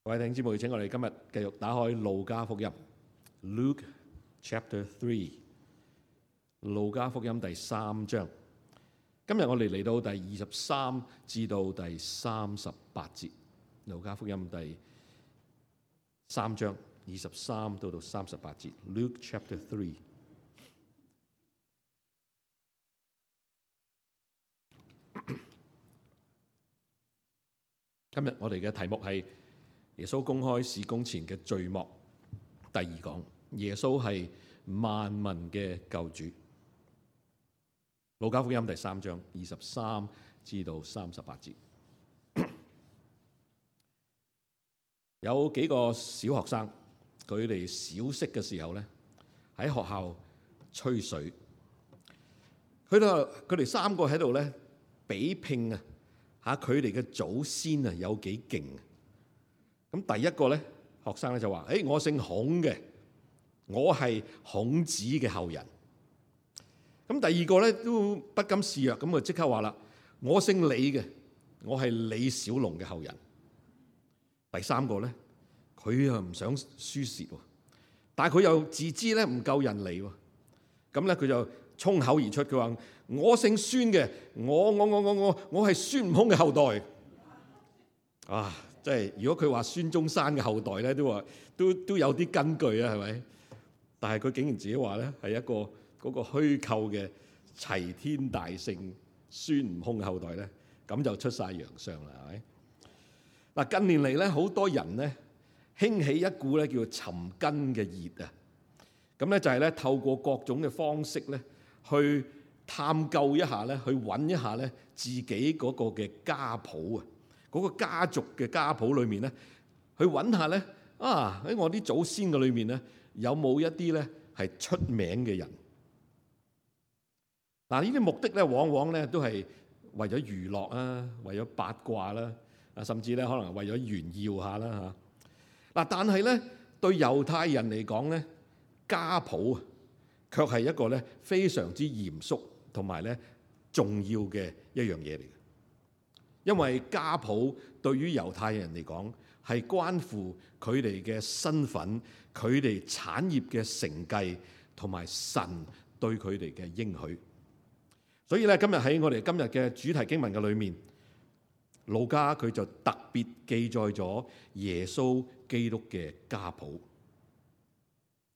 各位弟兄姊妹，請我哋今日繼續打開路加福音 Luke Chapter 3， 路加福音第3章。今日我哋嚟到第23至到第38節，路加福音第3章23到38節 Luke Chapter 3。今日我哋嘅題目係耶穌公開事工前嘅序幕第二講，耶穌係萬民嘅救主。路加福音第3章23至到38節，有幾個小學生，佢哋小息嘅時候咧，喺學校吹水。佢哋三個喺度咧比拼啊！嚇佢哋嘅祖先啊，有幾勁？咁第一個咧，學生咧就話：我姓孔嘅，我係孔子嘅後人。咁第二個咧都不甘示弱，咁啊即刻話啦：我姓李嘅，我係李小龍嘅後人。第三個咧，佢又唔想輸蝕喎，但係佢又自知咧唔夠人嚟喎，咁咧佢就衝口而出，佢話：我姓孫嘅，我係孫悟空嘅後代。啊，即係如果佢話孫中山嘅後代咧，都有啲根據啊，係咪？但係佢竟然自己話咧係一個嗰個虛構嘅齊天大聖孫悟空嘅後代咧，咁就出晒洋相啦，係咪？嗱，近年嚟咧，好多人咧興起一股咧叫做尋根嘅熱啊，咁咧就係咧透過各種嘅方式咧，去探究一下咧，去揾一下咧自己嗰個嘅家譜啊，嗰個家族嘅家譜裏面咧，去揾下咧喺我啲祖先嘅裏面咧，有冇一啲咧係出名嘅人？嗱，呢啲目的咧，往往咧都係為咗娛樂啊，為咗八卦啦，甚至咧可能為咗炫耀下啦嚇。嗱，但係咧對猶太人嚟講咧，家譜啊，卻係一個咧非常之嚴肅同埋咧重要嘅一樣嘢嚟嘅，因為家譜對於猶太人嚟講係關乎佢哋嘅身份、佢哋產業嘅承繼同埋神對佢哋嘅應許。所以咧，今日喺我哋今日嘅主題經文嘅裏面，路加佢就特別記載咗耶穌基督嘅家譜。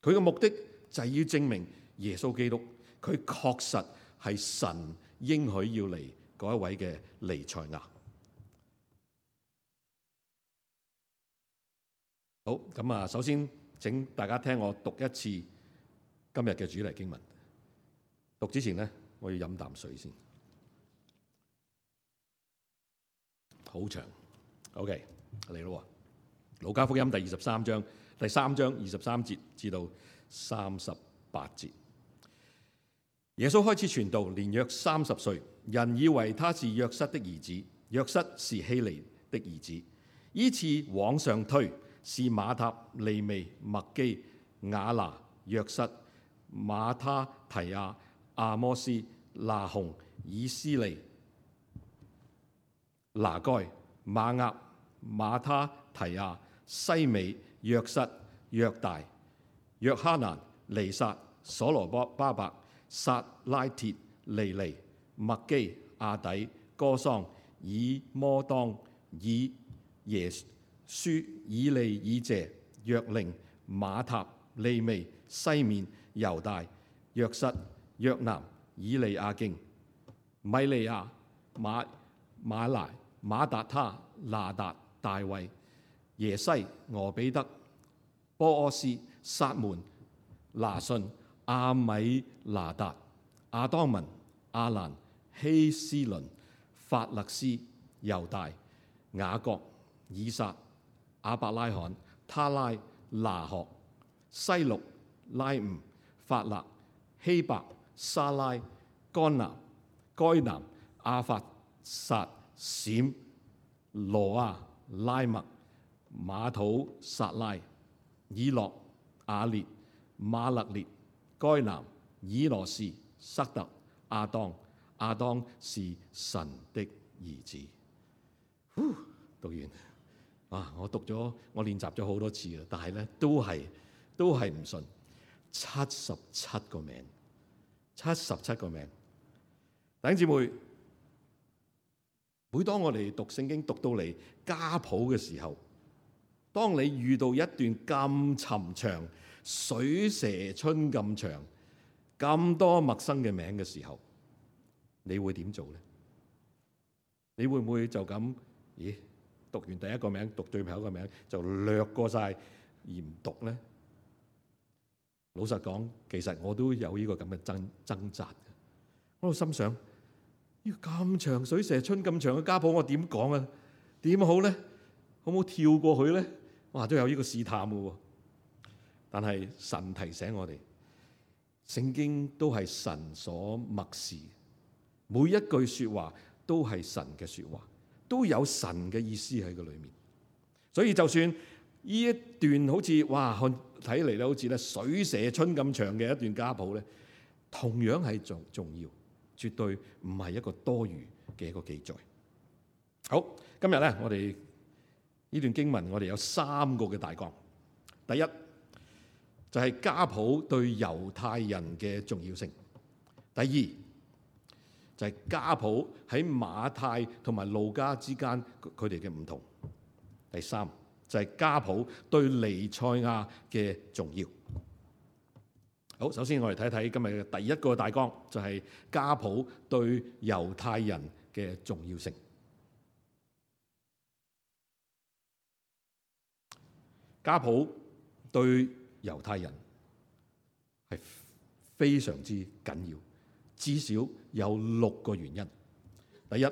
佢嘅目的就係要證明耶穌基督佢確實係神應許要嚟嗰一位嘅彌賽亞。好，咁啊，首先請大家聽我讀一次今日嘅主題經文。讀之前呢，我要飲啖水先。好長 ，OK， 嚟咯。路加福音第3章23節至到38節。耶穌開始傳道，年約30歲，人以為他是約瑟的兒子，約瑟是希利的兒子。依次往上推，是馬塔、利未、麥基、雅拿、約瑟、馬他提亞、阿摩斯、拿鴻、以斯利、拿該、馬押、馬他提亞、西美、約瑟、約大、約哈難、尼撒、所羅巴伯、撒拉鐵、利尼、麥基、亞底、歌桑、以摩當、以耶書、以利以謝、約令、馬塔、利未、西面、猶大、約瑟、約南、以利亞敬、米利亞、馬拿、馬達他、拿達、大衛、耶西、俄比德、波阿斯、撒門、拿順、阿米拿達、亞當文、亞蘭、希斯倫、法勒斯、猶大、雅各、以撒、亞伯拉罕、他拉、拿鶴、西錄、拉吾、法勒、希伯、沙拉、該南、亞法撒、閃、羅亞、拉麥、馬土撒拉、以諾、亞列、馬勒列、該南、以羅士、塞特、亞當是神的兒子。讀完，我讀咗，我練習咗好多次啦，但係咧都係唔順。77個名，77個名。弟兄姊妹，每當我哋讀聖經讀到嚟家譜嘅時候，當你遇到一段咁尋長、水蛇春咁長、咁多陌生嘅名嘅時候，你會點做呢？你會唔會就咁？咦，讀完第一個名，讀最後一個名就略過晒而唔讀呢？老實講，其實我都有呢個咁嘅掙扎。我心想，呢個咁長水蛇春咁長嘅家譜，我點講啊？點好呢？好唔好跳過去呢？哇，都有呢個試探嘅喎。但係神提醒我哋，聖經都係神所默示，每一句說話都係神嘅說話，都有神嘅意思喺個裏面。所以就算呢一段好似哇睇嚟咧，好似咧水蛇春咁長嘅一段家譜咧，同樣係重要，絕對唔係一個多餘嘅一個記載。好，今日咧我哋呢段經文，我哋有3個嘅大綱。第一就係家譜對猶太人嘅重要性。第二就係家譜喺馬太同埋路加之間佢哋嘅唔同。第三就係家譜對彌賽亞嘅重要。好，首先我哋睇睇今日嘅第一個大綱，就係家譜對猶太人嘅重要性。家譜對猶太人係非常之緊要，至少有6個原因。第一，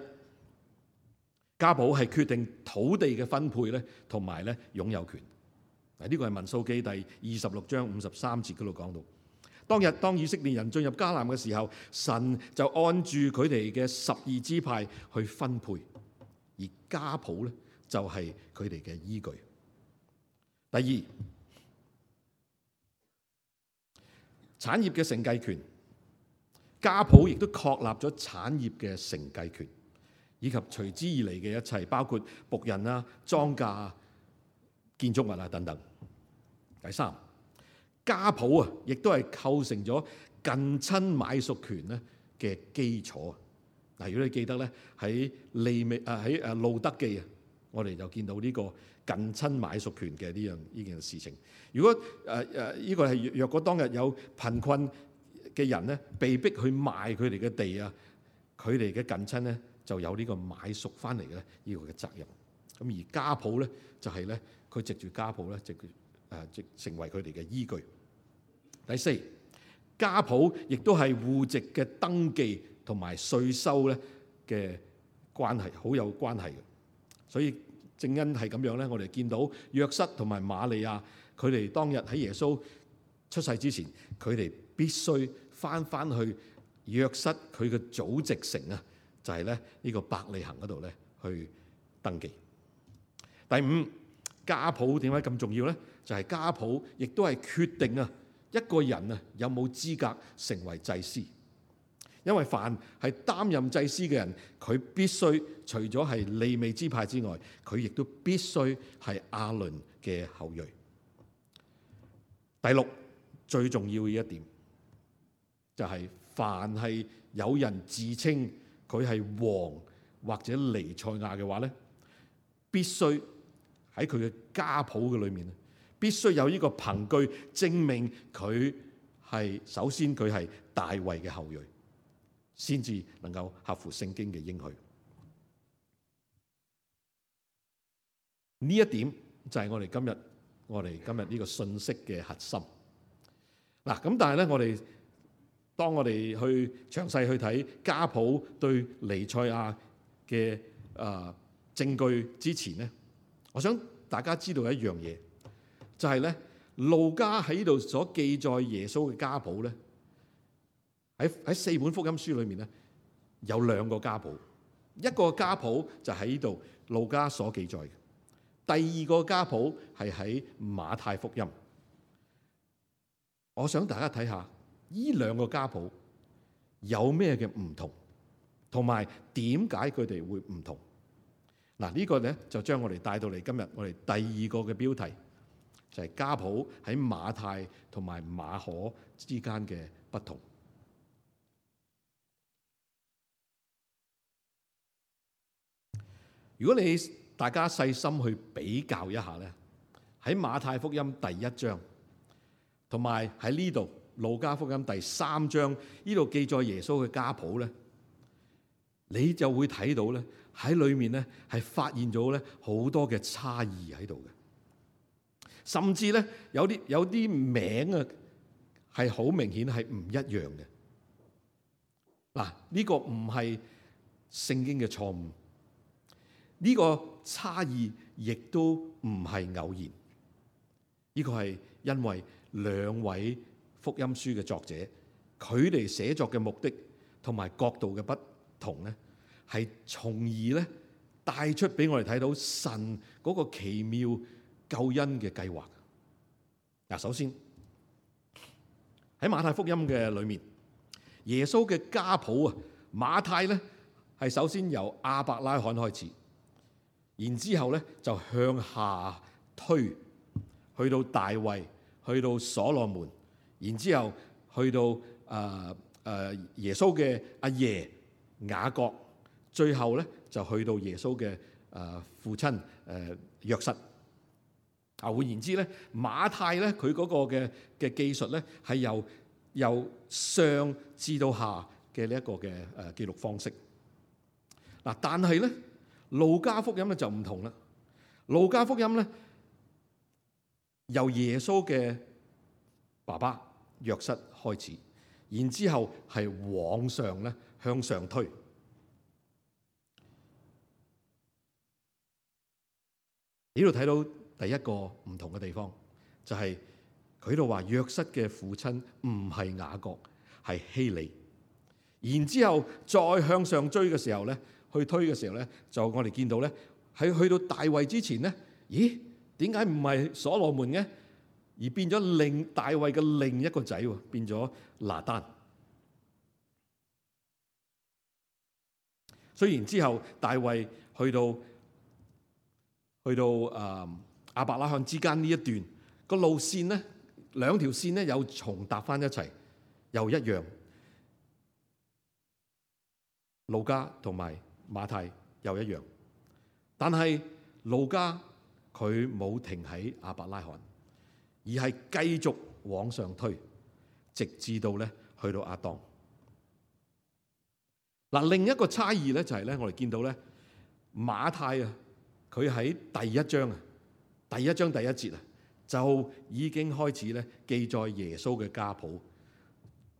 家譜係決定土地嘅分配咧，同埋咧擁有權。呢個係民數記第26章53節嗰度講到，當日當以色列人進入迦南嘅時候，神就按住佢哋嘅12支派去分配，而家譜咧就係佢哋嘅依據。第二，產業嘅承繼權，家譜亦都確立咗產業嘅承繼權，以及隨之而嚟嘅一切，包括僕人啊、莊稼啊、建築物啊等等。第三，家譜啊，亦都係構成咗近親買屬權咧嘅基礎。嗱，如果你記得咧，喺路德記啊，我哋就見到呢個近親買屬權嘅呢件事情。如果呢個係若果當日有貧困嘅人咧，被逼去賣佢哋嘅地啊，佢哋嘅近親咧就有呢個買屬翻嚟嘅呢個嘅責任。咁而家譜咧就係咧，佢藉住家譜咧，即成為佢哋嘅依據。第四，家譜亦都係戶籍嘅登記同埋稅收咧嘅關係，好有關係嘅。所以正因係咁樣咧，我哋見到約瑟同埋瑪利亞，佢哋當日喺耶穌出世之前，佢哋必須翻去約瑟佢嘅祖籍城啊，就係咧呢個伯利恆嗰度咧去登記。第五，家譜點解咁重要咧？就係家譜亦都係決定啊一個人啊有冇資格成為祭司。因為凡係擔任祭司嘅人，佢必須除咗係利未支派之外，佢亦都必須係亞倫嘅後裔。第六，最重要嘅一點就係凡係有人自稱佢係王或者彌賽亞嘅話咧，必須喺佢嘅家譜嘅裏面，必須有呢個憑據證明佢係首先佢係大衛嘅後裔，先至能夠合乎聖經嘅應許。呢一點就係我哋今日呢個信息嘅核心。嗱，咁但係咧，當我哋去詳細去睇家譜對彌賽亞嘅證據之前咧，我想大家知道一樣嘢，就係咧路加喺呢度所記載耶穌嘅家譜咧，喺4本福音書裏面咧有2個家譜，一個家譜就喺呢度路加所記載嘅，第二個家譜係喺馬太福音。我想大家睇下呢2個家譜有咩嘅唔同，同埋點解佢哋會唔同。嗱，呢個咧就將我哋帶到嚟今日我哋第二個嘅標題，就係家譜喺馬太同埋馬可之間嘅不同。如果大家細心去比較一下咧，喺馬太福音第一章同埋喺呢度路加福音第3章呢度記載耶穌嘅家譜咧，你就會睇到咧喺裏面咧係發現咗咧好多嘅差異喺度嘅，甚至咧有啲名啊係好明顯係唔一樣嘅。嗱，呢個唔係聖經嘅錯誤，呢個差異亦都唔係偶然，呢個係因為兩位福音書嘅作者佢哋寫作嘅目的同埋角度嘅不同咧，係從而咧帶出俾我哋睇到神嗰個奇妙救恩嘅計劃。嗱，首先喺馬太福音嘅裏面，耶穌嘅家譜啊，馬太咧係首先由亞伯拉罕開始，然之後咧就向下推，去到大衛，去到所羅門，然之後去到耶穌嘅阿爺雅各，最後咧就去到耶穌嘅父親約瑟。換言之咧，馬太咧佢嗰個嘅記述咧係由上至到下嘅呢一個嘅記錄方式。嗱，但係咧路加福音咧就唔同啦。路加福音咧由耶穌嘅爸爸約瑟開始，然之後係往上咧向上推。呢度睇到第一個唔同嘅地方，就係佢度話約瑟嘅父親唔係雅各，係希利。然之後再向上追嘅時候咧，去推嘅時候咧，就我哋見到咧喺去到大衛之前咧，咦？點解唔係所羅門嘅，而變咗大衛嘅另一個仔喎，變咗拿單。雖然之後大衛去到亞伯拉罕之間呢一段個路線咧，兩條線咧又重搭翻一齊，又一樣。路加同埋馬太又一樣，但係路加佢冇停喺亞伯拉罕，而係繼續往上推，直至到咧去到亞當。嗱，另一個差異咧就係咧，我哋見到咧馬太啊，佢喺第一章第一節啊，就已經開始咧記載耶穌嘅家譜，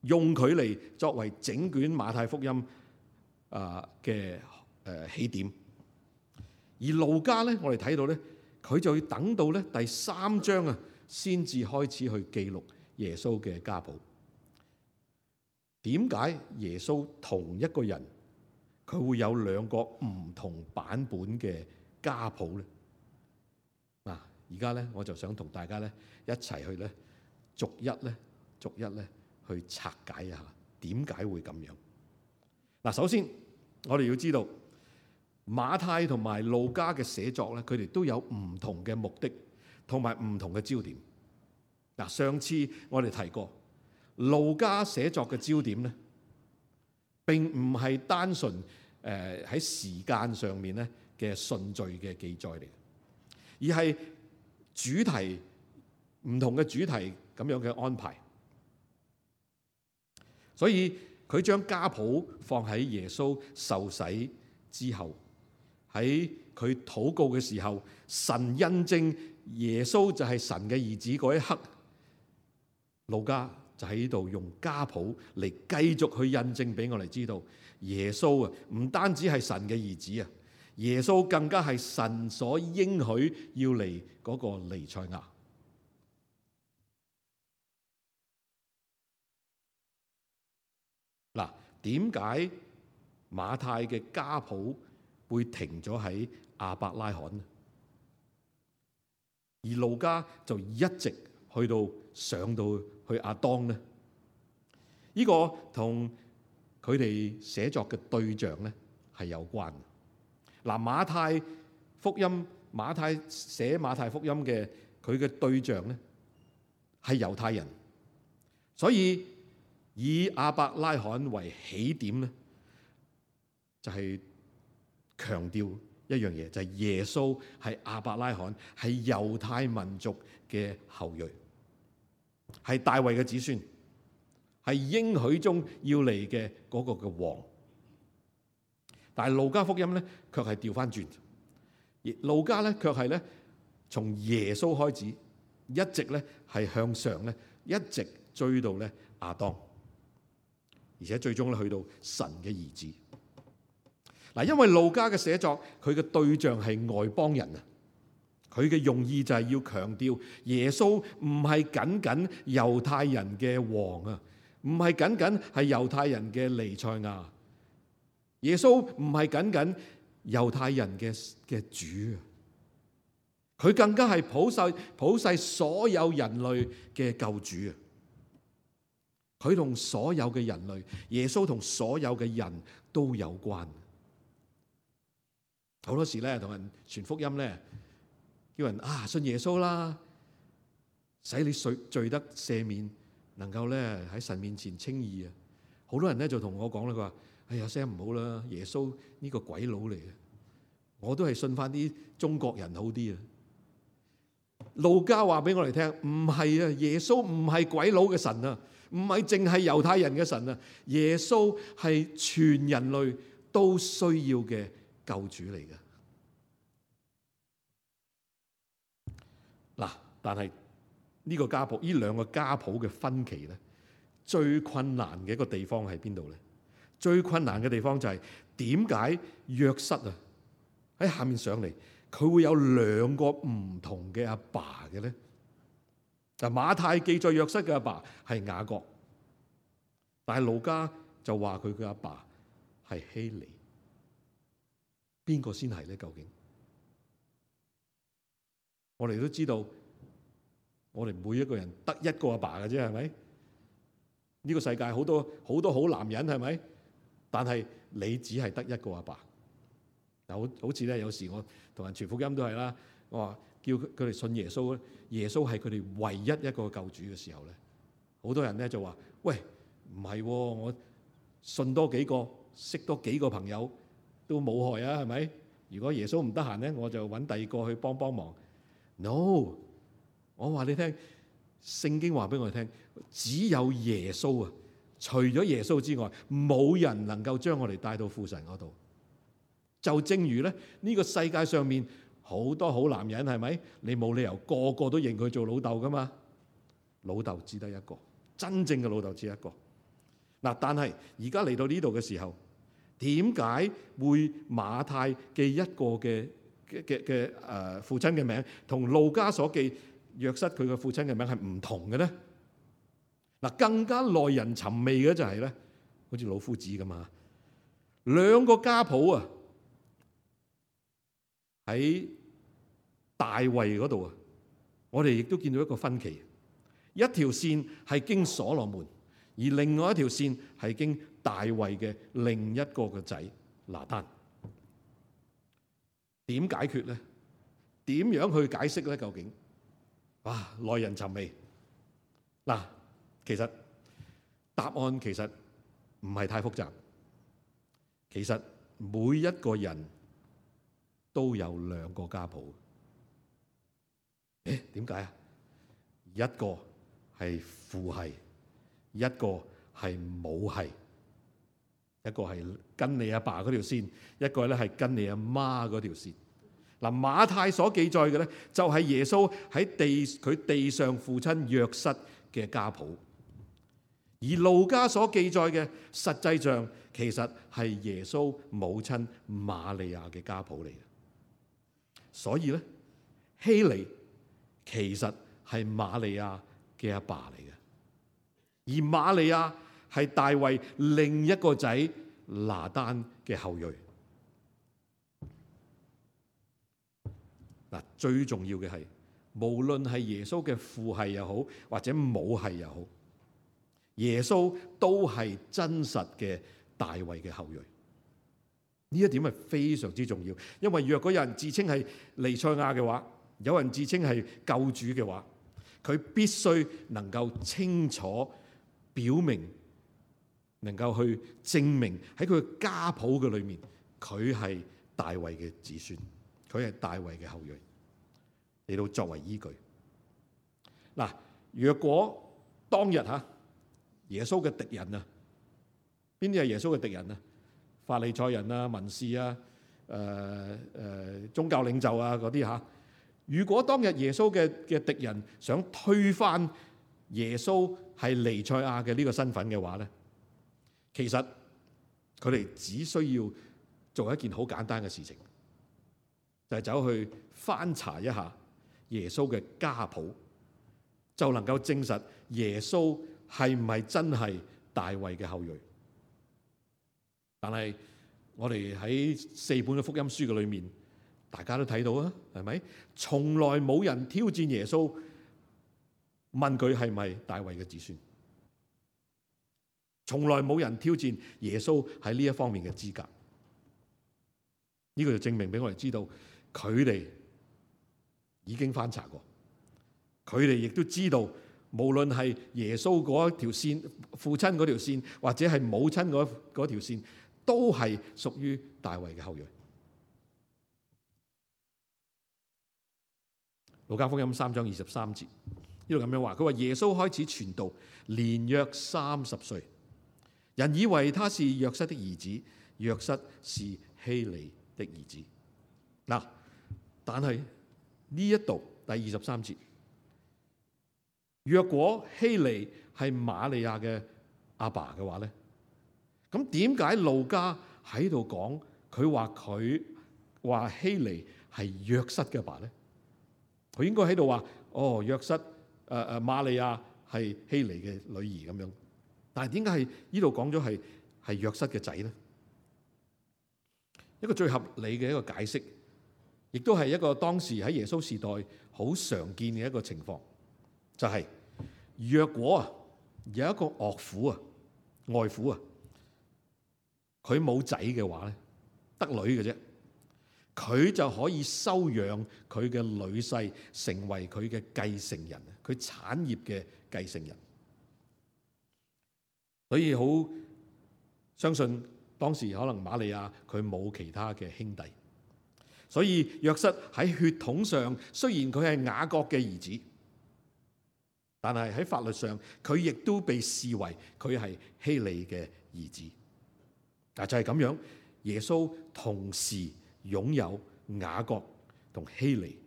用佢嚟作為整卷馬太福音嘅起點。而路加咧，我哋睇到咧，佢就要等到咧第3章啊，先至開始去記錄耶穌嘅家譜。點解耶穌同一個人佢會有兩個唔同版本嘅家譜咧？嗱，而家咧我就想同大家咧一齊去咧逐一咧去拆解一下點解會咁樣。嗱，首先我哋要知道馬太同埋路加嘅寫作咧，佢哋都有唔同嘅目的同埋唔同嘅焦點。嗱，上次我哋提過，路加寫作嘅焦點咧並唔係單純喺時間上面咧嘅順序嘅記載嚟，而係主題唔同嘅主題咁樣嘅安排。所以佢將家譜放喺耶穌受洗之後，喺佢禱告嘅時候，神印證耶穌就係神嘅兒子嗰一刻，路加就喺度用家譜嚟繼續去印證俾我哋知道，耶穌啊唔單止係神嘅兒子啊，耶穌更加係神所應許要嚟嗰個彌賽亞。嗱，點解馬太嘅家譜會停咗喺亞伯拉罕呢？而路加就一直去到上到去亞當呢？呢個同佢哋寫作嘅對象咧係有關。嗱，馬太福音馬太寫馬太福音嘅佢嘅對象咧係猶太人，所以以亞伯拉罕為起點咧，就係強調一樣嘢，就係耶穌係亞伯拉罕，係猶太民族嘅後裔，係大衛嘅子孫，係應許中要嚟嘅嗰個嘅王。但係路加福音咧，卻係調翻轉，路加咧卻係咧從耶穌開始，一直咧係向上咧，一直追到咧亞當，而且最終咧去到神嘅兒子。嗱，因為路加嘅寫作，佢嘅對象係外邦人啊，佢嘅用意就係要強調耶穌唔係僅僅猶太人嘅王啊，唔係僅僅係猶太人嘅彌賽亞，耶穌唔係僅僅猶太人嘅主啊，佢更加係普世所有人類嘅救主啊！佢同所有嘅人類，耶穌同所有嘅人都有關。好多時咧，同人傳福音咧，叫人信耶穌啦，使你罪得赦免，能夠咧喺神面前稱義啊！好多人咧就同我講啦，佢話：哎呀，Sam唔好啦，耶穌呢個鬼佬嚟嘅，我都係信翻啲中國人好啲啊！路加話俾我哋聽，唔係啊，耶穌唔係鬼佬嘅神啊，唔係淨係猶太人嘅神啊，耶穌係全人類都需要嘅救主嚟嘅。嗱，但係呢個家譜，呢兩個家譜嘅分歧咧，最困難嘅一個地方喺邊度咧？最困難嘅地方就係點解約瑟啊喺下面上嚟，佢會有兩個唔同嘅阿爸嘅咧？嗱，馬太記載約瑟嘅阿爸係雅各，但係路加就話佢嘅阿爸係希利。邊個先係咧？究竟我哋都知道，我哋每一個人得一個阿爸嘅啫，係咪？呢個世界好多好男人，係咪？但係你只係得一個阿爸。好似咧，有時我同人傳福音都係啦，我話叫佢哋信耶穌，耶穌係佢哋唯一一個救主嘅時候咧，好多人咧就話：喂，唔係，我信多幾個，識多幾個朋友都冇害啊，係咪？如果耶穌唔得閒咧，我就揾第二個去幫忙。No， 我話你聽，聖經話俾我哋聽，只有耶穌啊，除咗耶穌之外，冇人能夠將我哋帶到父神嗰度。就正如咧，呢個世界上面好多好男人，係咪？你冇理由個個都認佢做老豆噶嘛？老豆只得一個，真正嘅老豆只一個。嗱，但係而家嚟到呢度嘅時候，點解會馬太記一個嘅父親嘅名，同路加所記約瑟佢嘅父親嘅名係唔同嘅咧？嗱，更加耐人尋味嘅就係咧，好似老夫子咁啊，兩個家譜啊，喺大衛嗰度啊，我哋亦都見到一個分歧，一條線係經所羅門，而另外一條線係經大衛嘅另一個嘅仔拿單。點解決咧？點樣去解釋咧？究竟哇，耐人尋味。嗱，其實答案其實唔係太複雜。其實每一個人都有兩個家譜。點解啊？一個係父系，一個係母系。一個係跟你阿爸嗰條線，一個咧係跟你阿媽嗰條線。嗱，馬太所記載嘅咧，就係耶穌喺佢地上父親約瑟嘅家譜，而路加所記載嘅，實際上其實係耶穌母親瑪利亞嘅家譜嚟嘅。所以咧，希利其實係瑪利亞嘅阿爸嚟嘅，而瑪利亞係大衛另一個仔拿單嘅後裔。嗱，最重要嘅係，無論係耶穌嘅父系又好，或者母系又好，耶穌都係真實嘅大衛嘅後裔。呢一點係非常之重要，因為若果有人自稱係彌賽亞嘅話，有人自稱係救主嘅話，佢必須能夠清楚表明，能夠去證明喺佢嘅家譜嘅裏面，佢係大衛嘅子孫，佢係大衛嘅後裔，嚟到作為依據。嗱，若果當日耶穌嘅敵人啊，邊啲係耶穌嘅敵人啊？法利賽人啊、文士啊、宗教領袖啊嗰啲嚇。如果當日耶穌嘅敵人想推翻耶穌係彌賽亞嘅呢個身份嘅話咧，其實佢哋只需要做一件好簡單嘅事情，就係走去翻查一下耶穌嘅家譜，就能夠證實耶穌係唔係真係大衛嘅後裔。但係我哋喺4本嘅福音書嘅裏面，大家都睇到啊，係咪？從來冇人挑戰耶穌，問佢係咪大衛嘅子孫。從來冇人挑戰耶穌喺呢一方面嘅資格。呢個就證明俾我哋知道，佢哋已經翻查過，佢哋亦都知道，無論係耶穌嗰條線、父親嗰條線，或者係母親嗰條線，都係屬於大衛嘅後裔。路加福音3章23節，呢度咁樣話，佢話耶穌開始傳道，年約30歲，人以為他是約瑟的兒子，約瑟是希利的兒子。嗱，但係呢一度第23節，若果希利係瑪利亞嘅阿爸嘅話咧，咁點解路加喺度講佢話希利係約瑟嘅爸咧？佢應該喺度話約瑟瑪利亞係希利嘅女兒咁樣，但係點解係呢度講咗係約瑟嘅仔咧？一個最合理嘅一個解釋，亦都係一個當時喺耶穌時代好常見嘅一個情況，就係若果有一個岳父外父佢冇仔嘅話咧，得女嘅啫，佢就可以收養佢嘅女婿，成為佢嘅繼承人，佢產業嘅繼承人。所以好相信當時可能瑪利亞佢冇其他嘅兄弟，所以約瑟喺血統上雖然佢係雅各嘅兒子，但係喺法律上佢亦都被視為佢係希利嘅兒子。嗱，就係咁樣，耶穌同時擁有雅各同希利、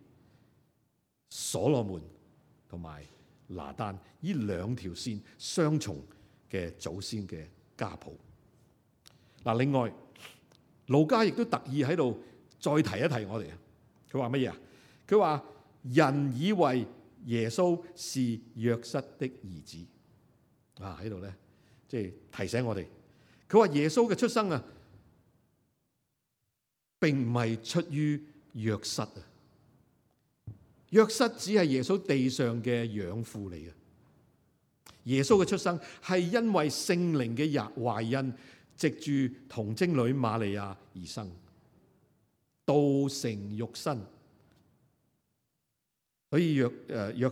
所羅門同埋拿單呢兩條線雙重嘅祖先嘅家譜。嗱，另外路加亦都特意喺度再提一提我哋，佢話乜嘢啊？佢話人以為耶穌是約瑟的兒子，喺度咧，即係提醒我哋。佢話耶穌嘅出生並唔係出於約瑟約瑟只係耶穌地上嘅養父嚟嘅。耶穌嘅出生係因為聖靈嘅懷孕，藉住童貞女瑪利亞而生，道成肉身。所以約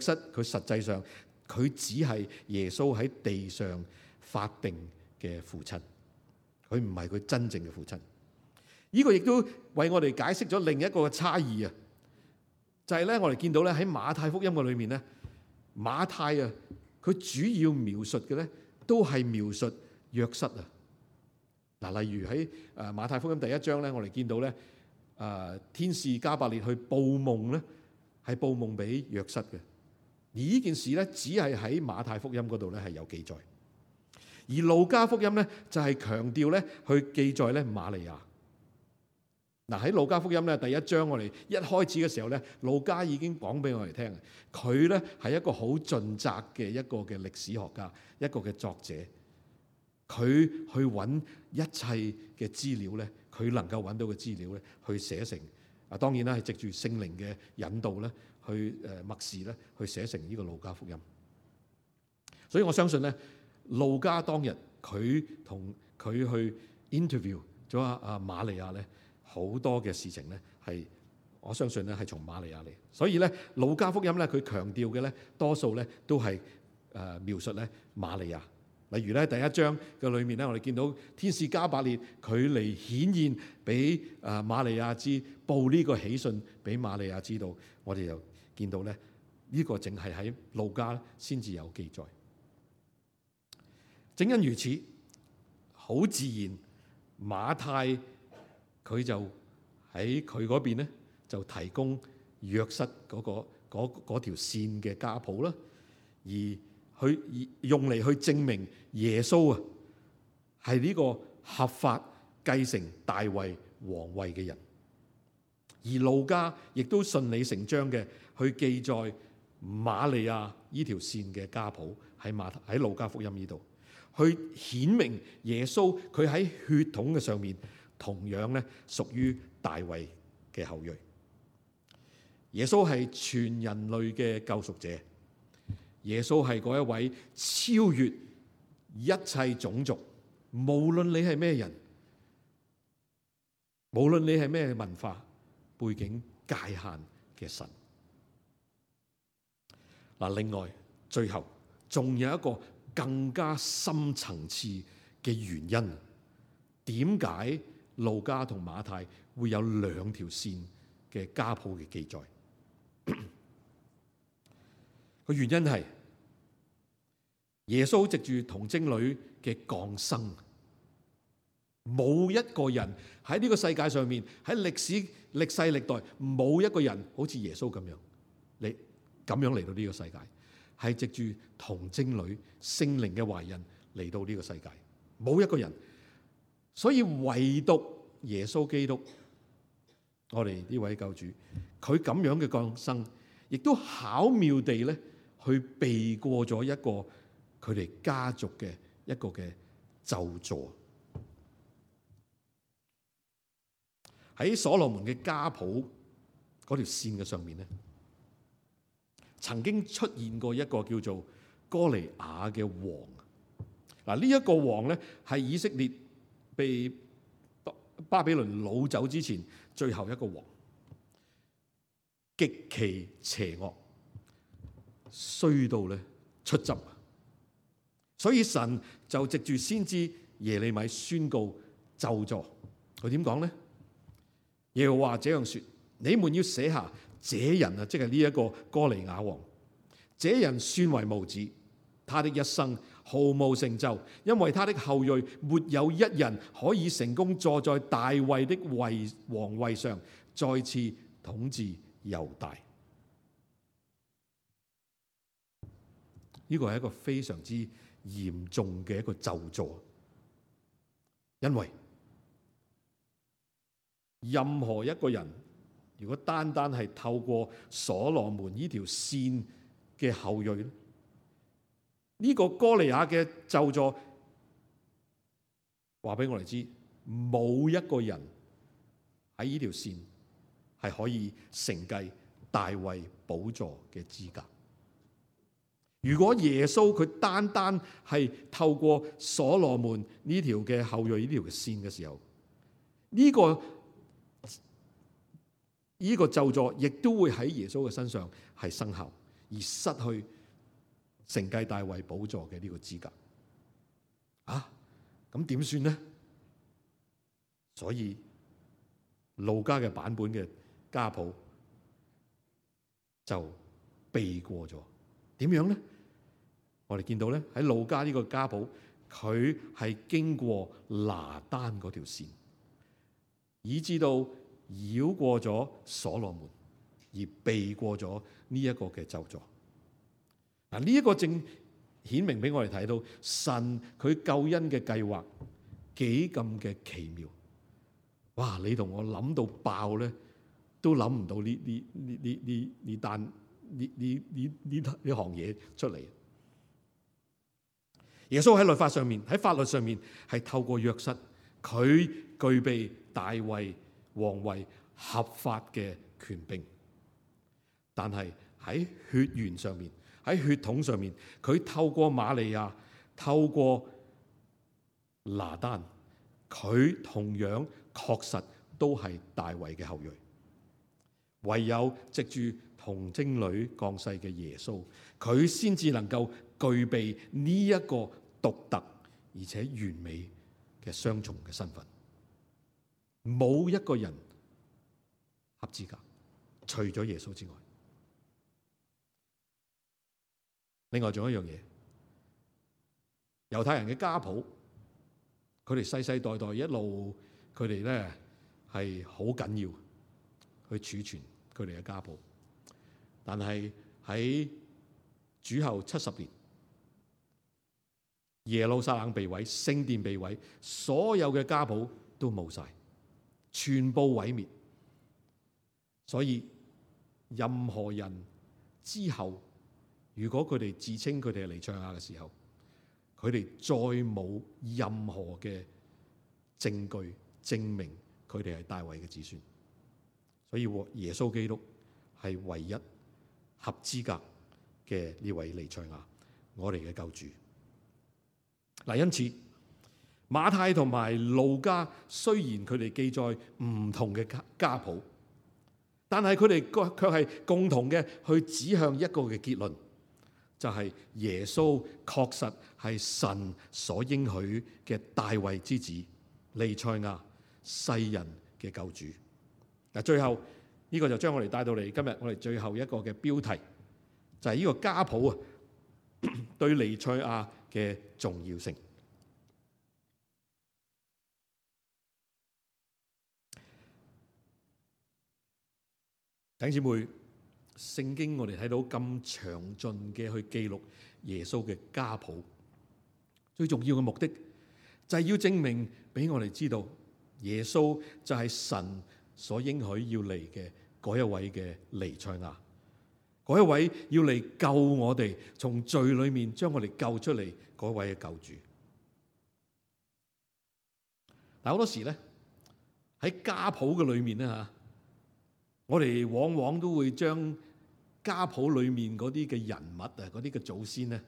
瑟佢實際上佢只係耶穌喺地上法定嘅父親，佢唔係佢真正嘅父親。呢個亦都為我哋解釋咗另一個差異啊，就係咧我哋見到咧喺馬太福音嘅裏面咧，馬太佢主要描述嘅咧都係描述約瑟啊。嗱，例如喺馬太福音第1章咧，我哋見到咧天使加百列去報夢咧，係報夢俾約瑟嘅。而呢件事咧只係喺馬太福音嗰度咧係有記載，而路加福音咧就係強調咧去記載咧瑪利亞。嗱，喺路加福音咧第1章，我哋一開始嘅時候咧，路加已經講俾我哋聽，佢咧係一個好盡責嘅一個嘅歷史學家，一個嘅作者。佢去揾一切嘅資料咧，佢能夠揾到嘅資料咧，去寫成當然啦，係藉住聖靈嘅引導咧，去默示咧，去寫成呢個路加福音。所以我相信咧，路加當日佢同佢去 interview 咗瑪利亞咧，好多嘅事情咧係我相信咧係從瑪利亞嚟。所以咧路加福音咧佢強調嘅咧多數咧都係描述咧瑪利亞。例如咧第一章嘅裏面咧，我哋見到天使加百列佢嚟顯現俾瑪利亞知，報呢個喜訊俾瑪利亞知道。我哋又見到咧呢個淨係喺路加先至有記載。正因如此，好自然馬太佢就喺佢嗰邊咧就提供約瑟嗰條線嘅家譜啦，而去用嚟去證明耶穌啊係呢個合法繼承大衛皇位嘅人。而路加亦都順理成章嘅去記載瑪利亞呢條線嘅家譜喺路加福音呢度，去顯明耶穌佢喺血統嘅上面同樣咧屬於大衛嘅後裔。耶穌係全人類嘅救贖者，耶穌係嗰一位超越一切種族，無論你係咩人，無論你係咩文化背景界限嘅神。嗱，另外最後仲有一個更加深層次嘅原因，點解路加同馬太會有兩條線嘅家譜嘅記載？個原因係耶穌藉住童貞女嘅降生，冇一個人喺呢個世界上面，喺歷世歷代冇一個人好似耶穌咁樣嚟到呢個世界，係藉住童貞女聖靈嘅懷孕嚟到呢個世界，冇一個人。所以唯獨耶穌基督，我哋呢位救主，佢咁樣嘅降生，亦都巧妙地咧去避過咗一個佢哋家族嘅一個嘅咒詛。喺所羅門嘅家譜嗰條線嘅上面咧，曾經出現過一個叫做哥尼雅嘅王。嗱，呢一個王咧係以色列被巴比倫擄走之前最後一個王，極其邪惡，衰到咧出汁。所以神就藉住先知耶利米宣告咒詛。佢點講咧？耶和華這樣說：你們要寫下這人啊，即係呢一個哥尼雅王，這人算為無子，他的一生毫無成就，因為他的後裔沒有一人可以成功坐在大衛的皇位上，再次統治猶大。呢個係一個非常之嚴重嘅一個咒詛，因為任何一個人如果單單係透過所羅門呢條線嘅後裔咧，呢個哥尼雅嘅咒詛話俾我哋知，冇一個人喺呢條線係可以承繼大衛寶座嘅資格。如果耶穌佢單單係透過所羅門呢條嘅後裔呢條線嘅時候，呢個咒詛亦都會喺耶穌嘅身上係生效，而失去承繼大衛寶座嘅呢個資格。咁點算呢？所以路加嘅版本嘅家譜就避過咗。點樣呢？我哋見到咧喺路加呢個家譜，佢係經過拿單嗰條線，以至到繞過咗所羅門，而避過咗呢一個嘅咒詛。嗱，呢一個正顯明俾我哋睇到神佢救恩嘅計劃幾咁嘅奇妙。哇！你同我諗到爆咧，都諗唔到呢行嘢出嚟。耶穌喺律法上面，喺法律上面係透過約瑟，佢具備大衛皇位合法嘅權柄，但係喺血緣上面，喺血統上面，佢透過瑪利亞，透過拿單，佢同樣確實都係大衛嘅後裔。唯有藉住童貞女降世嘅耶穌，佢先至能夠具備呢一個獨特而且完美嘅雙重嘅身份。冇一個人合資格，除咗耶穌之外。另外仲有一樣嘢，猶太人嘅家譜，佢哋世世代代一路，佢哋咧係好緊要去儲存佢哋嘅家譜。但係喺主後70年，耶路撒冷被毀，聖殿被毀，所有嘅家譜都冇晒，全部毀滅。所以任何人之後，如果佢哋自稱佢哋係彌賽亞嘅時候，佢哋再冇任何嘅證據證明佢哋係大衛嘅子孫。所以耶穌基督係唯一合資格嘅呢位彌賽亞，我哋嘅救主。嗱，因此馬太同埋路加雖然佢哋記載唔同嘅家譜，但係佢哋卻係共同嘅去指向一個嘅結論，就係耶穌確實係神所應許嘅大衛之子，彌賽亞，世人嘅救主。嗱，最後呢個就將我哋帶到嚟今日我哋最後一個嘅標題，就係呢個家譜啊對彌賽亞嘅重要性。弟兄姊妹，聖經我哋睇到咁詳盡嘅去記錄耶穌嘅家譜，最重要嘅目的就係要證明俾我哋知道耶穌就係神所應許要嚟嘅嗰一位嘅彌賽亞，嗰一位要嚟救我哋從罪裏面將我哋救出嚟嗰位嘅救主。但好多時咧喺家譜嘅裏面咧吓，我哋往往都會將家譜裏面嗰啲嘅人物啊，嗰啲嘅祖先咧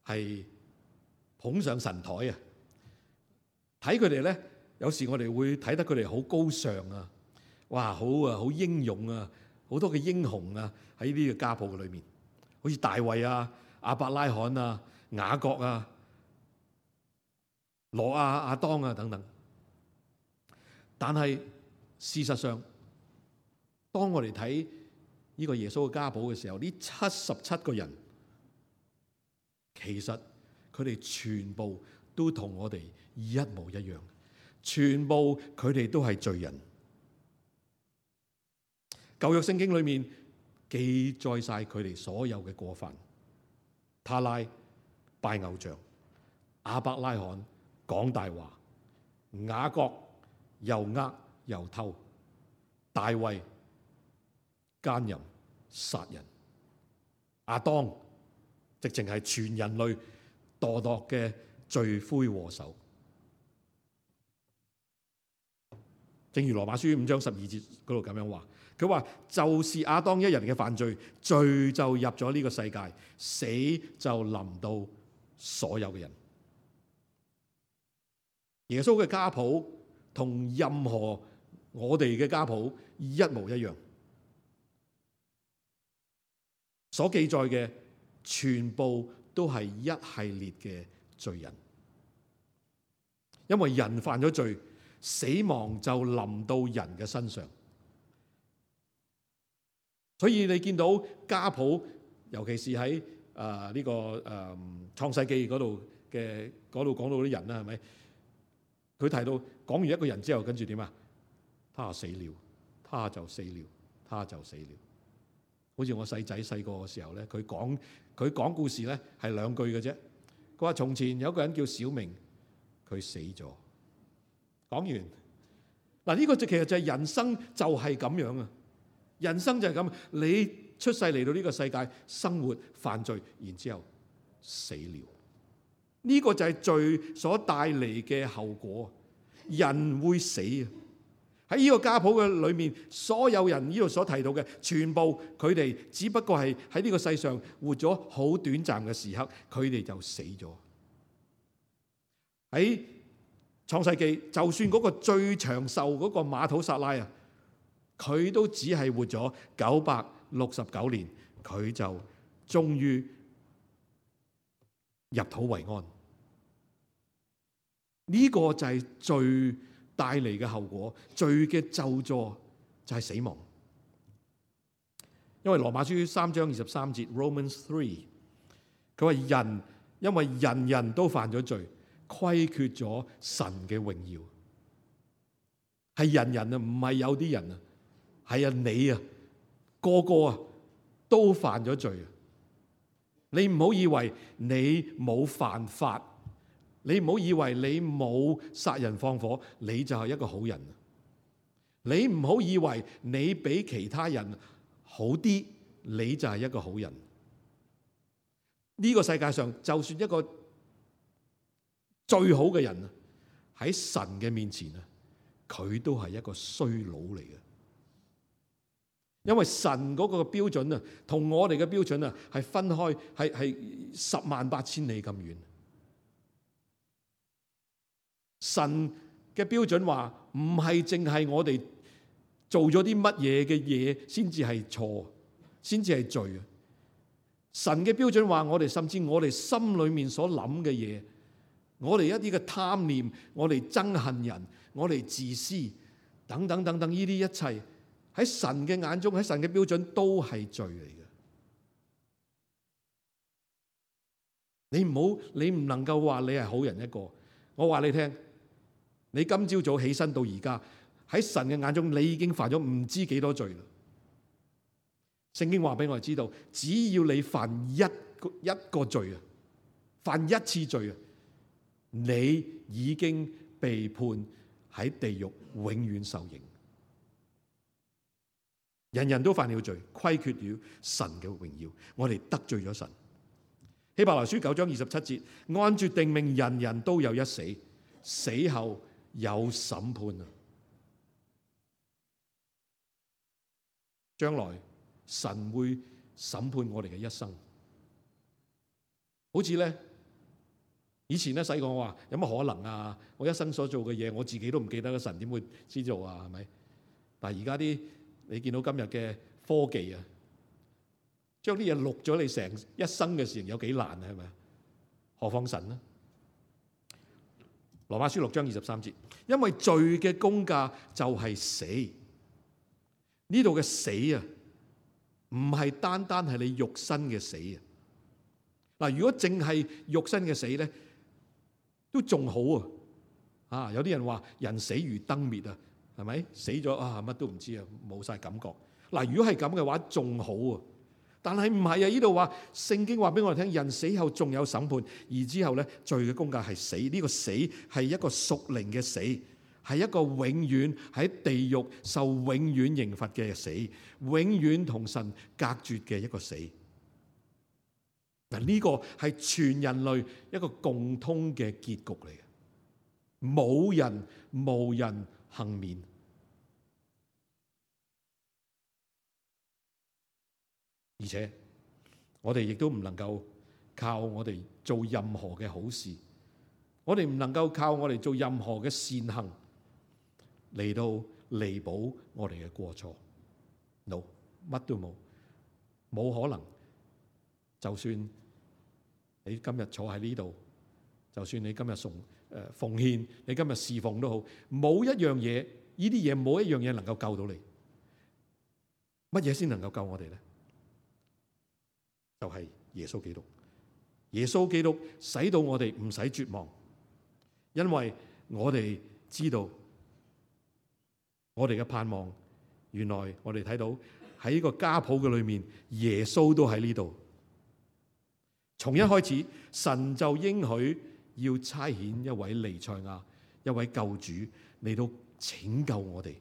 係捧上神台啊，睇佢哋咧，有時我哋會睇得佢哋好高尚啊，哇，好英勇啊，好多嘅英雄啊喺呢個家譜嘅裏面，好似大衛啊、亞伯拉罕啊、雅各啊、挪亞、亞當啊等等。但係事實上，當我哋睇呢個耶穌嘅家譜嘅時候，呢77個人其實佢哋全部都同我哋一模一樣，全部佢哋都係罪人。舊約聖經裏面記載晒佢哋所有嘅過犯：他拉拜偶像，亞伯拉罕講大話，雅各又呃又偷，大衛奸淫殺人，亞當直情係全人類墮落嘅罪魁禍首。正如羅馬書5章12節嗰度咁樣話，佢話就是亞當一人嘅犯罪，罪就入咗呢個世界，死就臨到所有嘅人。耶穌嘅家譜同任何我哋嘅家譜一模一樣，所記載嘅全部都係一系列嘅罪人，因為人犯咗罪，死亡就臨到人嘅身上。所以你見到家譜，尤其是喺呢個創世記嗰度講到啲人啦，係咪？佢提到講完一個人之後，跟住點啊？他死了，他就死了，他就死了。好似我細仔細個嘅時候咧，佢講故事咧係2句嘅啫。佢話從前有一個人叫小明，佢死咗。講完嗱，呢個其實就係人生，就係咁樣啊！人生就係咁，你出世嚟到呢個世界，生活犯罪，然之後死了。呢個就係罪所帶嚟嘅後果，人會死啊！喺呢個家譜嘅裏面，所有人呢度所提到嘅，全部佢哋只不過係喺呢個世上活咗好短暫嘅時刻，佢哋就死咗。喺創世記就算嗰個最長壽嗰個馬土撒拉啊，佢都只係活咗969年，佢就終於入土為安。呢個就係罪帶嚟嘅後果，罪嘅咒詛就係死亡。因為羅馬書3章23節 Romans 3，佢話人因為人人都犯咗罪，虧缺咗神嘅榮耀。係人人啊，唔係有啲人啊，係啊你啊，個個啊都犯咗罪啊！你唔好以為你冇犯法，你唔好以為你冇殺人放火，你就係一個好人。你唔好以為你比其他人好啲，你就係一個好人。呢個世界上就算一個最好嘅人啊，喺神嘅面前啊，佢都係一個衰佬嚟嘅。因為神嗰個標準啊，同我哋嘅標準啊係分開，係108000里咁遠。神嘅標準話唔係淨係我哋做咗啲乜嘢嘅嘢先至係錯，先至係罪啊！神嘅標準話我哋甚至我哋心裏面所諗嘅嘢，我哋一啲嘅貪念，我哋憎恨人，我哋自私等等等等，呢啲一切喺神嘅眼中，喺神嘅標準都係罪嚟嘅。你唔能夠話你係好人一個。我話你聽，你今朝早起身到而家，喺神嘅眼中，你已經犯咗唔知幾多罪啦。聖經話俾我哋知道，只要你犯一個罪啊，犯一次罪啊，你已經被判喺地獄永遠受刑。人人都犯了罪，虧缺了神嘅榮耀，我哋得罪咗神。希伯來書9章27節，按著定命，人人都有一死，死後有審判啊！將來神會審判我哋嘅一生。好似咧，以前咧細個我話有乜可能啊？我一生所做嘅嘢，我自己都唔記得，神點會知道啊？係咪？但係而家啲你見到今日嘅科技啊，將啲嘢錄咗你成一生嘅事情有幾難啊？係咪？何況神呢？羅馬書6章23節，因為罪嘅工價就係死。呢度嘅死啊，唔係單單係你肉身嘅死啊。嗱，如果淨係肉身嘅死咧，都仲好啊。啊，有啲人話人死如燈滅啊。係咪死咗啊？乜都唔知啊，冇晒感覺。嗱，如果係咁嘅話，仲好啊。但係唔係啊？呢度話聖經話俾我哋聽，人死後仲有審判，而之後咧，罪嘅工價係死。呢個死係一個屬靈嘅死，係一個永遠喺地獄受永遠刑罰嘅死，永遠同神隔絕嘅一個死。嗱，呢個係全人類一個共通嘅結局嚟嘅，冇人幸免。而且我哋亦都唔能夠靠我哋做任何嘅好事，我哋唔能夠靠我哋做任何嘅善行嚟到彌補我哋嘅過錯。No， 乜都冇，冇可能。就算你今日坐喺呢度，就算你今日奉獻，你今日侍奉都好，冇一樣嘢，呢啲嘢冇一樣嘢能夠救到你。乜嘢先能夠救我哋咧？就係耶穌基督。耶穌基督使到我哋唔使絕望，因為我哋知道我哋嘅盼望，原來我哋睇到喺呢個家譜嘅裏面，耶穌都喺呢度。從一開始，神就應許要差遣一位彌賽亞，一位救主嚟到拯救我哋，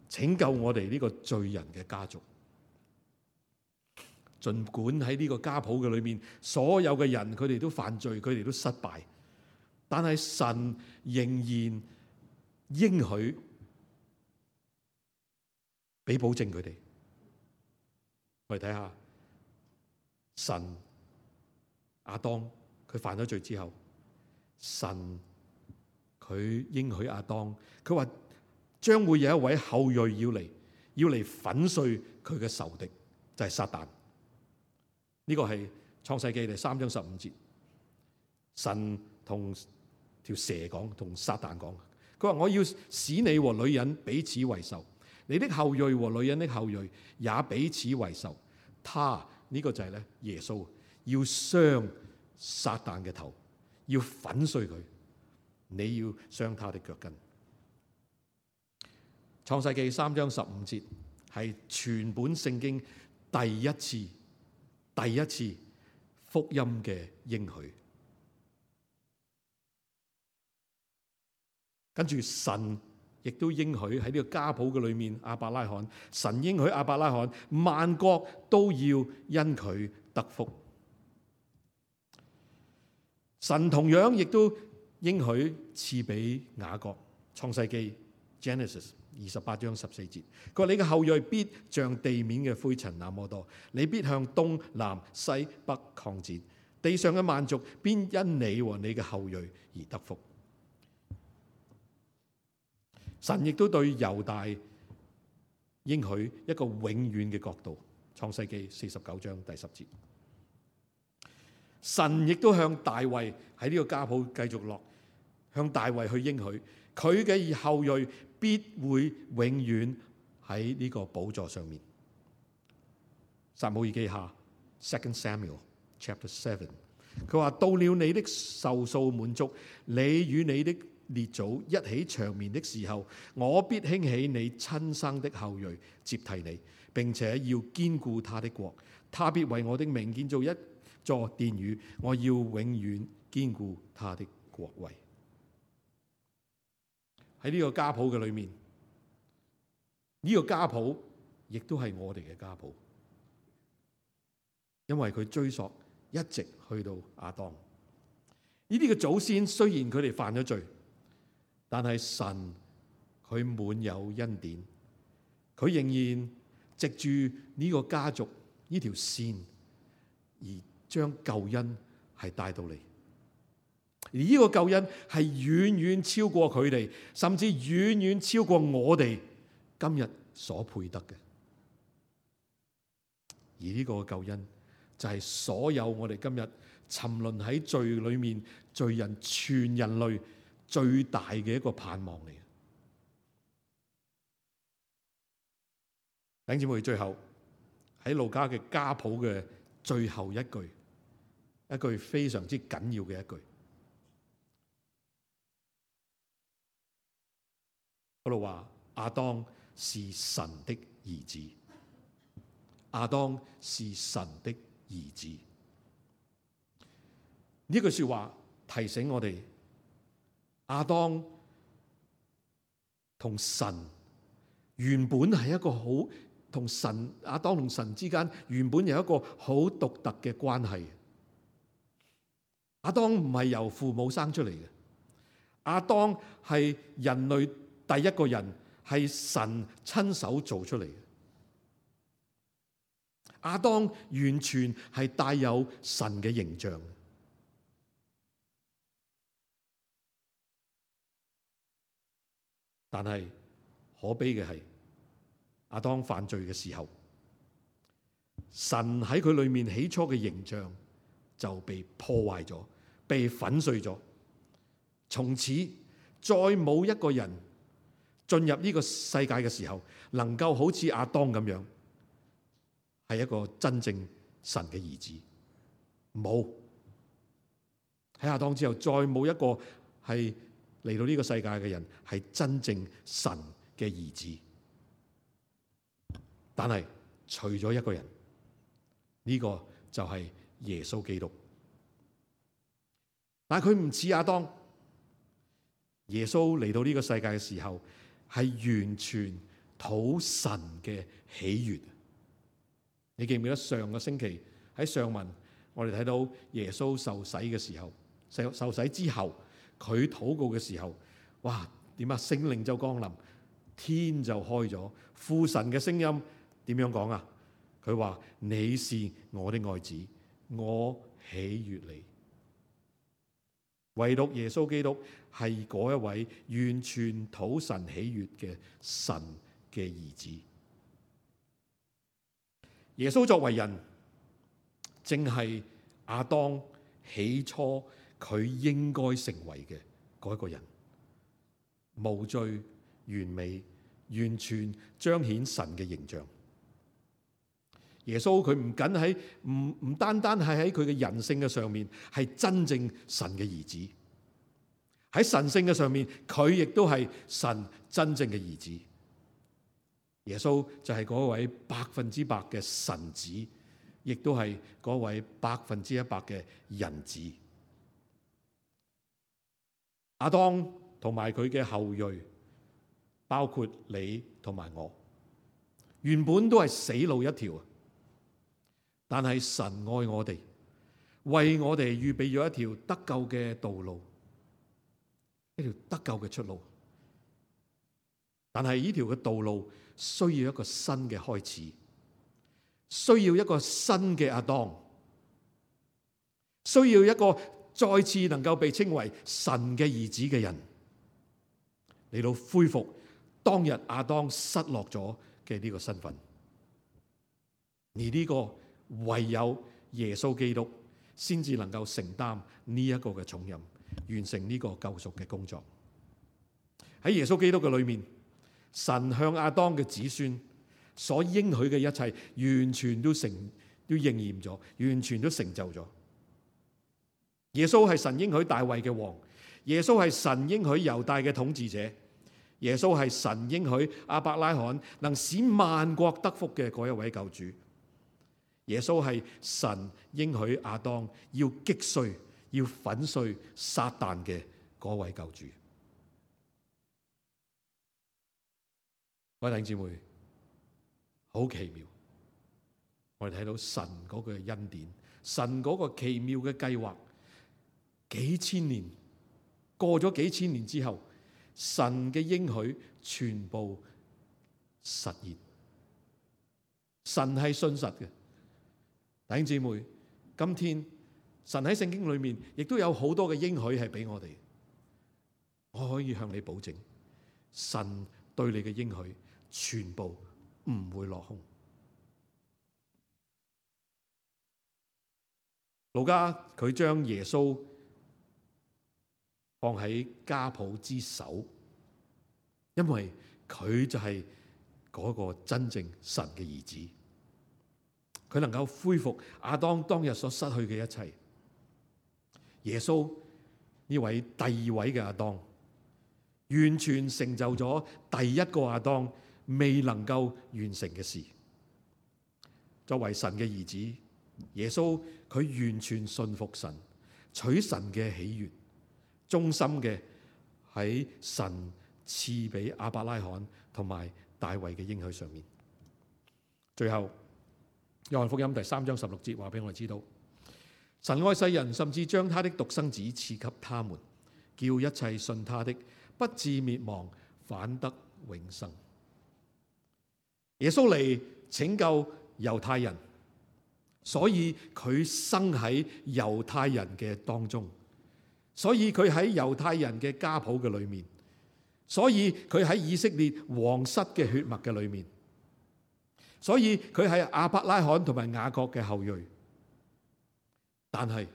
拯救我哋呢個罪人嘅家族。儘管喺呢個家譜嘅裏面，所有嘅人佢哋都犯罪，佢哋都失敗，但係神仍然應許俾保證佢哋。我哋睇下神亞當佢犯咗罪之後，神佢應許亞當，佢話將會有一位後裔要嚟粉碎佢嘅仇敵，就係撒旦。呢個係創世記第3章15節，神同條蛇講，同撒旦講，佢話我要使你和女人彼此為仇，你的後裔和女人的後裔也彼此為仇。他呢個就係咧耶穌要傷撒旦嘅頭，要粉碎佢，你要傷他的腳跟。創世記3章15節係全本聖經第一次福音嘅應許。跟住神亦都應許喺呢個家譜嘅裏面，亞伯拉罕，神應許亞伯拉罕萬國都要因佢得福。神同樣亦都應許賜俾雅各，創世記 Genesis 28章14節，佢話你嘅後裔必像地面嘅灰塵那麼多，你必向東南西北擴展，地上嘅萬族必因你和你嘅後裔而得福。神亦都對猶大應許一個永遠嘅國度，創世記49章第10節。神亦都向大衛喺呢個家譜繼續落，向大衛去應許佢嘅後裔必會永遠喺呢個寶座上面。撒母耳記下 2 Samuel Chapter 7，佢話到了你的壽數滿足，你與你的列祖一起長眠的時候，我必興起你親生的後裔接替你，並且要堅固他的國，他必為我的名建造一座殿宇，我要永遠堅固他的國位。喺呢個家譜嘅裏面，呢個家譜亦都係我哋嘅家譜，因為佢追溯一直去到亞當。呢啲嘅祖先雖然佢哋犯咗罪，但係神佢滿有恩典，佢仍然藉住呢個家族呢條線而將救恩係帶到嚟。而呢個救恩係遠遠超過佢哋，甚至遠遠超過我哋今日所配得嘅。而呢個救恩就係所有我哋今日沉淪喺罪裏面罪人全人類最大嘅一個盼望嚟嘅。弟兄姊妹，最後喺路加嘅家譜嘅最後一句非常之緊要嘅一句，嗰度話亞當是神的兒子，亞當是神的兒子。呢句說話提醒我哋，亞當同神原本係一個好同神，亞當同神之間原本有一個好獨特嘅關係。亞當唔係由父母生出嚟嘅，亞當係人類第一個人，係神親手做出嚟嘅。亞當完全係帶有神嘅形象。但係可悲嘅係，亞當犯罪嘅時候，神喺佢裏面起初嘅形象就被破壞咗，被粉碎咗。從此再冇一個人進入呢個世界嘅時候，能夠好似亞當咁樣，係一個真正神嘅兒子。冇，喺亞當之後，再冇一個係嚟到呢個世界嘅人係真正神嘅兒子。但係除咗一個人，呢個就係耶穌基督。但係佢唔似亞當，耶穌嚟到呢個世界嘅時候係完全討神嘅喜悅。你記唔記得上個星期喺上文我哋睇到耶穌受洗嘅時候，受洗之後佢禱告嘅時候，哇，點啊？聖靈就降臨，天就開咗，父神嘅聲音點樣講啊？佢話你是我的愛子，我喜悅你。唯獨耶穌基督係嗰一位完全討神喜悅嘅神嘅兒子。耶穌作為人，正係亞當起初佢應該成為嘅嗰一個人，無罪、完美、完全彰顯神嘅形象。耶穌佢唔單單係喺佢嘅人性嘅上面係真正神嘅兒子，喺神性嘅上面佢亦都係神真正嘅兒子。耶穌就係嗰位100%嘅神子，亦都係嗰位100%嘅人子。亞當同埋佢嘅後裔，包括你同埋我，原本都係死路一條，但係神愛我哋，為我哋預備咗一條得救嘅道路，一條得救嘅出路。但係呢條嘅道路需要一個新嘅開始，需要一個新嘅亞當，需要一個再次能夠被稱為神嘅兒子嘅人，嚟到恢復當日亞當失落咗嘅呢個身份。而呢個唯有耶穌基督先至能夠承擔呢一個嘅重任，完成呢個救贖嘅工作。喺耶穌基督嘅裏面，神向亞當嘅子孫所應許嘅一切，完全都應驗咗，完全都成就咗。耶穌係神應許大衛嘅王，耶穌係神應許猶大嘅統治者，耶穌係神應許亞伯拉罕能使萬國得福嘅嗰一位救主。耶穌係神應許亞當要擊碎、要粉碎撒旦嘅嗰位救主。各位弟兄姊妹，好奇妙！我哋睇到神嗰個恩典，神嗰個奇妙嘅計劃，幾千年過咗幾千年之後，神嘅應許全部實現。神係信實嘅。弟兄姊妹，今天神喺聖經裏面亦都有好多嘅應許係俾我哋。我可以向你保證，神對你嘅應許全部唔會落空。路加佢將耶穌放喺家譜之首，因為佢就係嗰個真正神嘅兒子。佢能夠恢復亞當當日所失去嘅一切。耶穌呢位第二位嘅亞當，完全成就咗第一個亞當未能夠完成嘅事。作為神嘅兒子，耶穌佢完全信服神，取神嘅喜悅，忠心嘅喺神賜俾亞伯拉罕同埋大衛嘅應許上面。最後，約翰福音第3章16節話俾我哋知道，神愛世人，甚至將他的獨生子賜給他們，叫一切信他的不至滅亡，反得永生。耶穌嚟拯救猶太人，所以佢生喺猶太人嘅當中，所以佢喺猶太人嘅家譜嘅裏面，所以佢喺以色列皇室嘅血脈嘅裏面，所以佢係亞伯拉罕同埋雅各嘅後裔。但係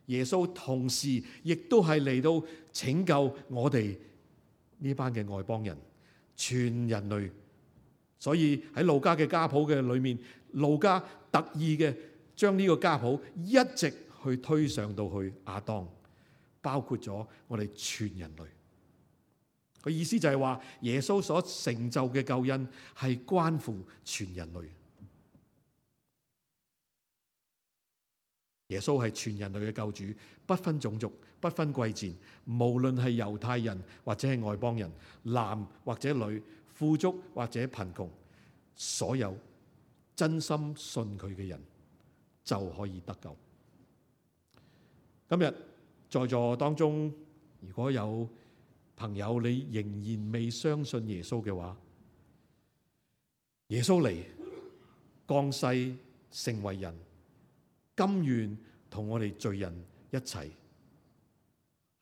耶穌同時亦都係嚟到拯救我哋呢班嘅外邦人，全人類。所以喺路加嘅家譜嘅裏面，路加特意嘅將呢個家譜一直去推上到去亞當，包括咗我哋全人類。個意思就係話，耶穌所成就嘅救恩係關乎全人類。耶穌係全人類嘅救主，不分種族，不分貴賤，無論係猶太人或者係外邦人，男或者女，富足或者貧窮，所有真心信佢嘅人就可以得救。今日在座當中，如果有朋友你仍然未相信耶穌嘅話，耶穌嚟降世成為人，甘願同我哋罪人一齊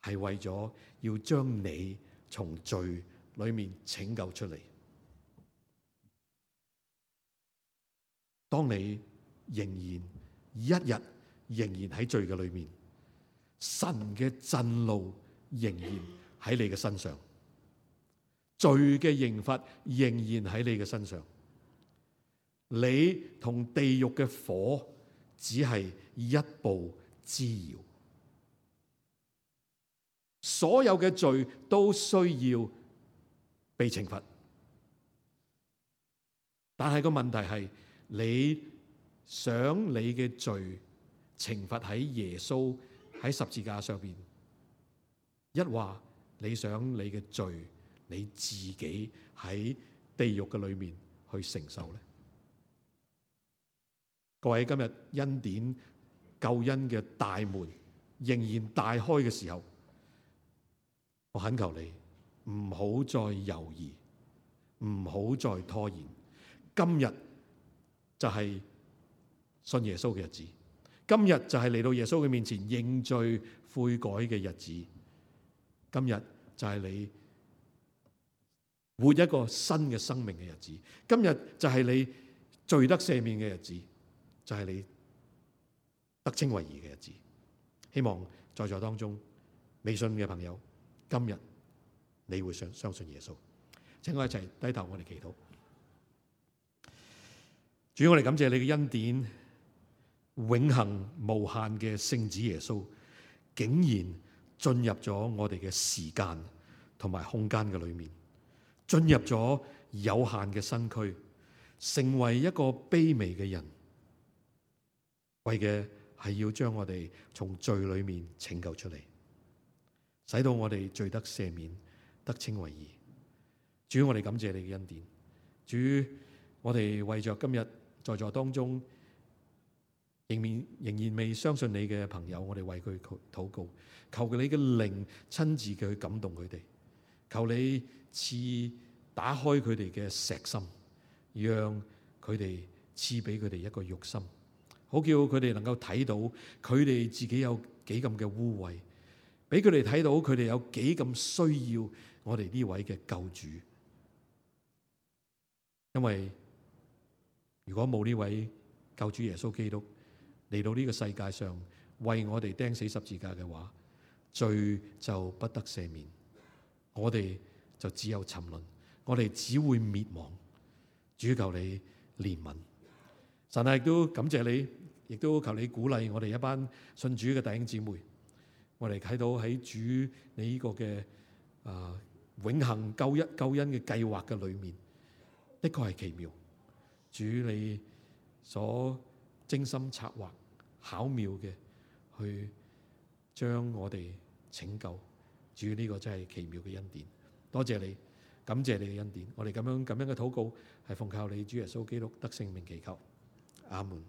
係為咗要將你從罪裏面拯救出嚟。當你仍然喺罪嘅裏面，神嘅震怒仍然喺你嘅身上，罪嘅刑罰仍然喺你嘅身上。你同地獄嘅火只係一步之遙。所有嘅罪都需要被懲罰，但係個問題係，你想你嘅罪懲罰喺耶穌喺十字架上邊，抑或你想你嘅罪你自己喺地獄嘅裏面去承受呢？各位，今日恩典救恩嘅大門仍然大開嘅時候，我懇求你唔好再猶豫，唔好再拖延。今日就係信耶穌嘅日子，今日就係嚟到耶穌嘅面前認罪悔改嘅日子，今日就係你活一個新嘅生命嘅日子，今日就係你罪得赦免嘅日子，就係你得稱為義嘅日子。希望在座當中未信嘅朋友，今日你會相信耶穌。請我一齊低頭，我哋祈禱。主，我哋感謝你嘅恩典，永恆無限嘅聖子耶穌，竟然進入咗我哋嘅時間同埋空間嘅裏面，進入咗有限嘅身軀，成為一個卑微嘅人，為嘅係要將我哋從罪裏面拯救出嚟，使到我哋罪得赦免，得稱為義。主，我哋感謝你嘅恩典。主，我哋為着今日在座當中仍然未相信你嘅朋友，我哋為佢禱告，求你嘅靈親自嘅去感動佢哋，求你賜打開佢哋嘅石心，讓佢哋賜俾佢哋一個肉心，好叫佢哋能夠睇到佢哋自己有幾咁嘅污穢，俾佢哋睇到佢哋有幾咁需要我哋呢位嘅救主。因為如果冇呢位救主耶穌基督嚟到呢個世界上為我哋釘死十字架嘅話，罪就不得赦免，我哋就只有沉淪，我哋只會滅亡。主，求你憐憫。神啊，亦都感謝你，亦都求你鼓勵我哋一班信主嘅弟兄姊妹。我哋睇到喺主你呢個嘅永恆救恩嘅計劃嘅裏面，的確係奇妙。主你所精心策劃巧妙嘅去將我哋拯救，主呢個真係奇妙嘅恩典。多謝你，感謝你嘅恩典。我哋咁樣嘅禱告係奉靠你主耶穌基督得勝名祈求，阿門。